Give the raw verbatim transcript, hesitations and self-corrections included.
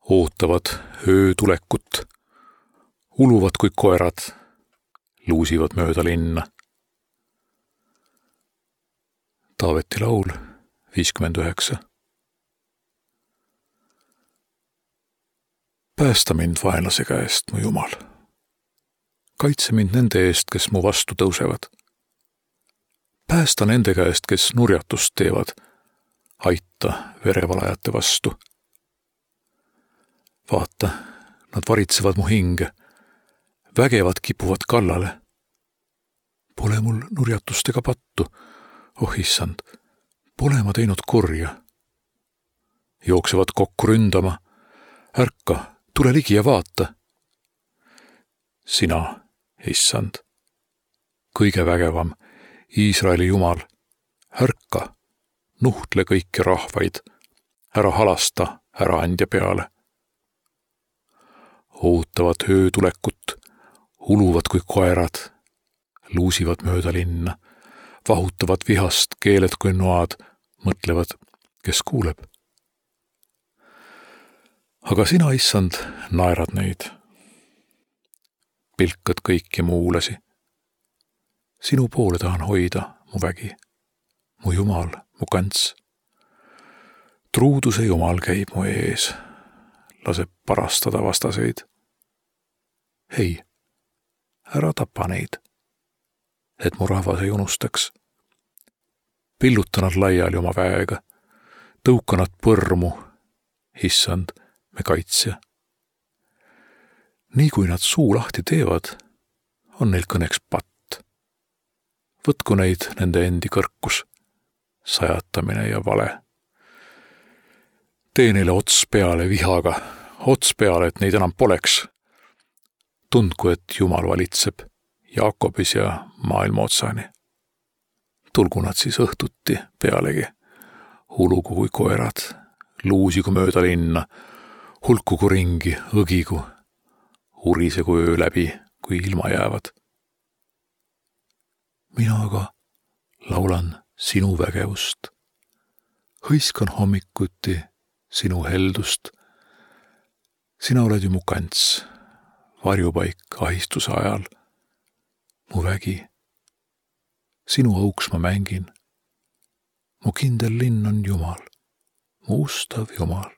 ootavad öö tulekut, uluvad kui koerad, luusivad mööda linna. Taaveti laul viiskümmend üheksa. Päästa mind vaenlase käest, mu Jumal. Kaitse mind nende eest, kes mu vastu tõusevad. Päästa nende käest, kes nurjatust teevad. Aita verevalajate vastu. Vaata, nad varitsevad mu hinge. Vägevad kipuvad kallale. Pole mul nurjatustega pattu. Oh issand, pole ma teinud kurja. Jooksevad kokku ründama. Ärka, tule ligi ja vaata. Sina, issand, kõige vägevam, Iisraeli Jumal, ärka, nuhtle kõiki rahvaid, ära halasta ära andja peale. Ootavad öö tulekut, uluvad kui koerad, luusivad mööda linna, vahutavad vihast keeled kui noad, mõtlevad, kes kuuleb. Aga sina, issand, naerad neid. Pilkad kõiki muulasi. Sinu poole tahan hoida, mu vägi, mu Jumal, mu kants. Truuduse Jumal käib mu ees, laseb parastada vastaseid. Hei, ära tapa neid, et mu rahvas ei unustaks. Pilluta nad laiali oma väega, tõuka nad põrmu, issand, me kaitsja. Nii kui nad suu lahti teevad, on neil kõneks patt. Võtku neid nende endi kõrkus, sajatamine ja vale. Tee neile ots peale vihaga, ots peale, et neid enam poleks. Tundku, et Jumal valitseb Jaakobis ja maailma otsani. Tulgu nad siis õhtuti pealegi, hulugu kui koerad, luusigu mööda linna, hulkugu ringi, õgigu, urisegu öö läbi, kui ilma jäävad. Mina aga laulan sinu vägevust, hõiskan hommikuti sinu heldust. Sina oled ju mu kants, varjupaik ahistuse ajal, mu vägi. Sinu auks ma mängin, mu kindel linn on Jumal, mu ustav Jumal.